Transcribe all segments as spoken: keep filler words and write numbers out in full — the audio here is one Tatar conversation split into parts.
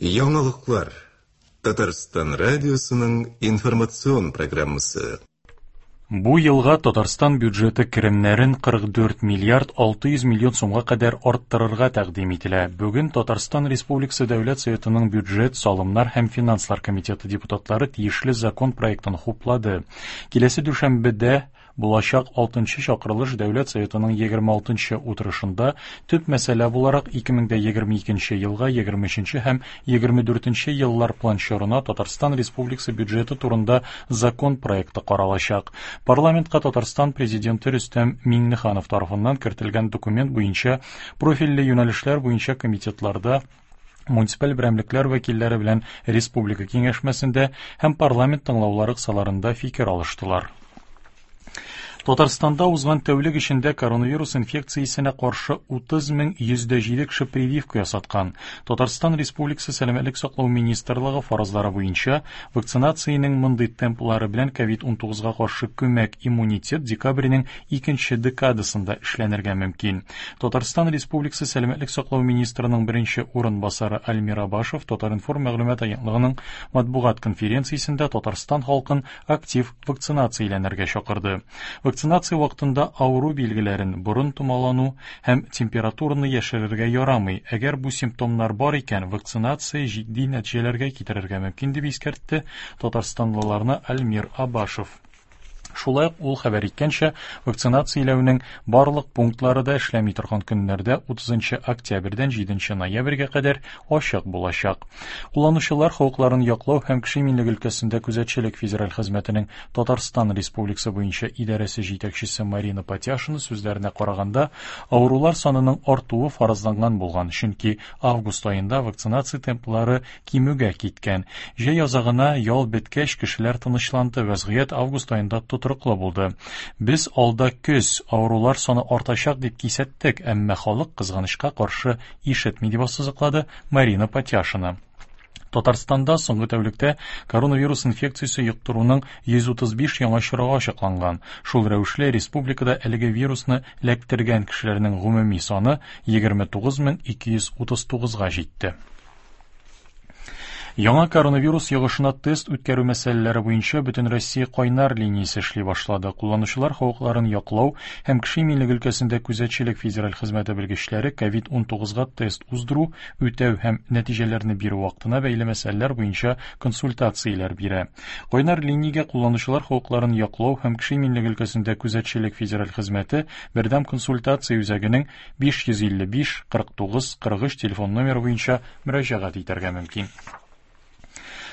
Яңалыклар. Татарстан радиосының информацион программасы. Бу елга Татарстан бюджеты керемнәрен кырык дүрт миллиард алты йөз миллион сумга кадәр арттырырга тәкъдим ителә. Бүген Татарстан Республикасы Дәүләт Советының бюджет, салымнар һәм финанслар комитеты депутатлары тиешле закон проектын хуплады. Киләсе дүшәмбедә булачак алтынчы чакырылыш Дәүләт Советының егерме алтынчы утырышында төп мәсьәлә буларак ике мең дә егерме икенче елга егерме өченче һәм егерме дүртенче еллар план чорына Татарстан Республикасы бюджеты турында закон проекты каралачак. Парламентка Татарстан президенты Рөстәм Миңнеханов тарафыннан кертелгән документ буенча профильле юнәлешләр буенча комитетларда муниципаль берәмлекләр вәкилләре белән республика киңәшмәсендә һәм парламент тыңлаулары кысаларында фикер алыштылар. Татарстанда узган тәүлек эчендә коронавирус инфекциясенә каршы утыз мең йөз дә җиде кеше прививка ясаткан. Татарстан Республикасы Сәламәтлек саклау министрлыгы фаразлары буенча вакцинациянең мондый темплары белән ковид унтугызга каршы күмәк иммунитет декабрьнең икенче декадасында эшләнергә мөмкин. Татарстан Республикасы Сәламәтлек саклау министрының беренче урынбасары Альмир Абашев Татар-информ мәгълүмат агентлыгының матбугат конференциясендә Татарстан халкын актив вакцинацияләнергә чакырды. Вакцинация вакытында авыру билгеләрен борын томалану һәм температураны яшерергә ярамый. Әгәр бу симптомнар бар икән, вакцинация җитди нәтиҗәләргә китерергә мөмкин дип искәртте татарстанлыларны Альмир Абашев. Шулай ук ул хәбәр иткәнчә, вакцинацияләүнең барлык пунктлары да эшләми торган көннәрдә утызынчы октябрьдән җиденче ноябрьгә кадәр ачык булачак. Кулланучылар хокукларын яклау һәм кеше иминлеге өлкәсендә күзәтчелек федераль хезмәтенең Татарстан Республикасы буенча идарәсе җитәкчесе Марина Патяшина сүзләренә караганда, авырулар санының артуы фаразланган булган, чөнки август аенда вакцинация темплары кимүгә киткән. Җәй азагына ял беткәч кешеләр тынычланды, вәзгыять август аенда тотрыклы булды. Без алда көз авырулар саны артачак дип кисәттек, әмма халык кызганычка каршы ишетми дип ассызыклады Марина Патяшина. Татарстанда соңгы тәүлектә коронавирус инфекциясе йоктыруның йөз утыз биш яңа очрагы ачыкланган. Шул рәвешле республикада әлеге вирусны эләктергән кешеләрнең гомуми саны егерме тугыз мең ике йөз утыз тугызга җитте. Яңа коронавирус йогышына тест үткәрү мәсьәләләре буенча Бөтен Россия кайнар линиясе эшли башлады. Кулланучылар хокукларын яклау һәм кеше иминлеге өлкәсендә күзәтчелек федераль хезмәте белгечләре ковид унтугызга тест уздыру, үтәү һәм нәтиҗәләрне бирү вакытына бәйле мәсьәләләр буенча консультацияләр бирә. Кайнар линиягә кулланучылар хокукларын яклау һәм кеше иминлеге өлкәсендә күзәтчелек федераль хезмәте бердәм консультация үзәгенең биш йөз илле биш кырык тугыз кырык өч телефон номеры буенча мөрәҗәгать итәргә мөмкин.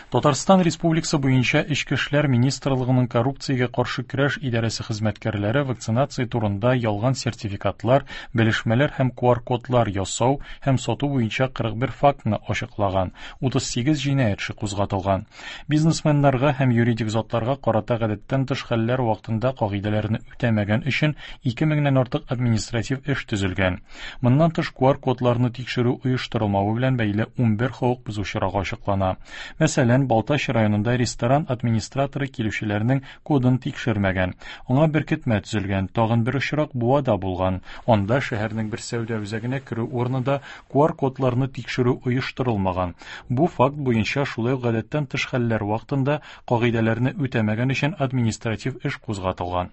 Татарстан Республикасы буенча Эчке эшләр министрлыгының коррупциягә каршы көрәш идарәсе хезмәткәрләре вакцинация турында ялган сертификатлар, белешмәләр һәм ку ар кодлар ясау һәм сату буенча кырык бер фактны ачыклаган, утыз сигез җинаять эше кузгатылган. Бизнесменнарга һәм юридик затларга карата гадәттән тыш хәлләр вакытында кагыйдәләрне үтәмәгән өчен ике меңнән артык административ эш төзелгән. Моннан тыш ку ар кодларны тикшерү оештырылмавы белән бәйле унбер хокук бозу очрагы ачыклана. Мәсәлән, Балтач районында ресторан администраторы килүчеләрнең кодын тикшермәгән. Аңа беркетмә төзелгән. Тагын бер очрак Буада булган. Анда шәһәрнең бер сәүдә үзәгенә керү урынында ку ар кодларны тикшерү оештырылмаган. Бу факт буенча шулай ук гадәттән тыш хәлләр вакытында кагыйдәләрне үтәмәгән өчен административ эш кузгатылган.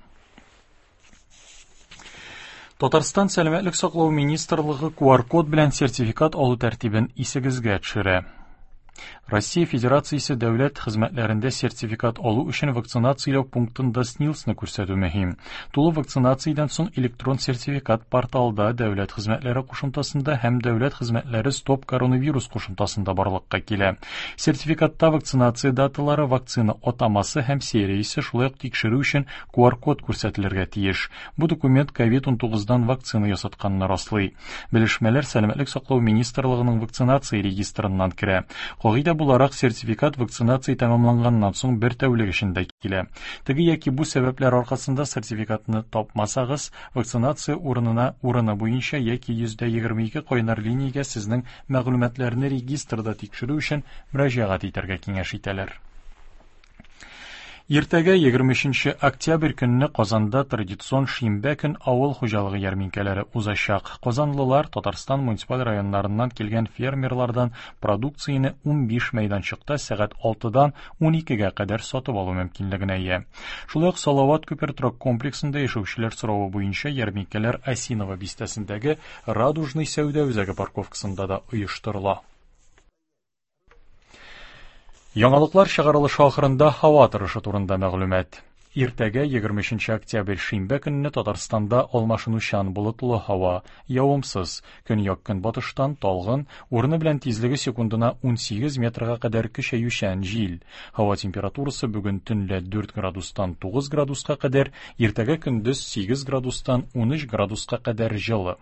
Татарстан Сәламәтлек саклау министрлыгы ку ар код белән сертификат алу тәртибен исегезгә төшерә. Россия Федерациясе дәүләт хезмәтләрендә сертификат алу өчен вакцинацияләү пунктында СНИЛСны күрсәтү мөһим. Тулы вакцинациядән соң электрон сертификат порталда дәүләт хезмәтләре кушымтасында һәм дәүләт хезмәтләре Стоп коронавирус кушымтасында барлыкка килә. Сертификатта вакцинация даталары, вакцина атамасы һәм сериясе, шулай ук тикшерү өчен ку ар код күрсәтелергә тиеш. Бу документ ковид унтугыздан вакцина ясатканны раслый. Белешмәләр Сәламәтлек саклау министрлыгының вакцинация регистрыннан керә. Кагыйдә буларак сертификат вакцинация тәмамланганнан соң бер тәүлек эчендә килә. Теге яки бу сәбәпләр аркасында сертификатны тапмасагыз, вакцинация урынына урыны буенча яки йөздә егерме ике кайнар линиягә сезнең мәгълүматларны регистрда тикшерү өчен мөрәҗәгать итәргә киңәш итәләр. Иртәгә егерме өченче октябрь көнне Казанда традицион шимбә көн авыл хуҗалыгы ярминкәләре узачак. Казанлылар Татарстан муниципаль районнарыннан килгән фермерлардан продукцияне унбиш мәйданчыкта сәгать алтыдан уникегә кадәр сатып алу мөмкинлегенә ия. Шулай ук Салават күпер торак комплексында яшәүчеләр соравы буенча ярминкәләр Осиново бистәсендәге Радужный сәүдә үзәге парковкасында да оештырыла. Яңалыклар чыгарылышы ахырында һава торышы турында мәгълүмат. Иртәгә егерме өченче октябрь шимбә көнне Татарстанда алмашынучан болытлы һава, явымсыз, көньяк-көнбатыштан талгын, урыны белән тизлеге секундына унсигез метрга кадәр көчәючән җил. Һава температурасы бүген төнлә дүрт градустан тугыз градуска кадәр, иртәгә көндез сигез градустан унөч градуска кадәр җылы.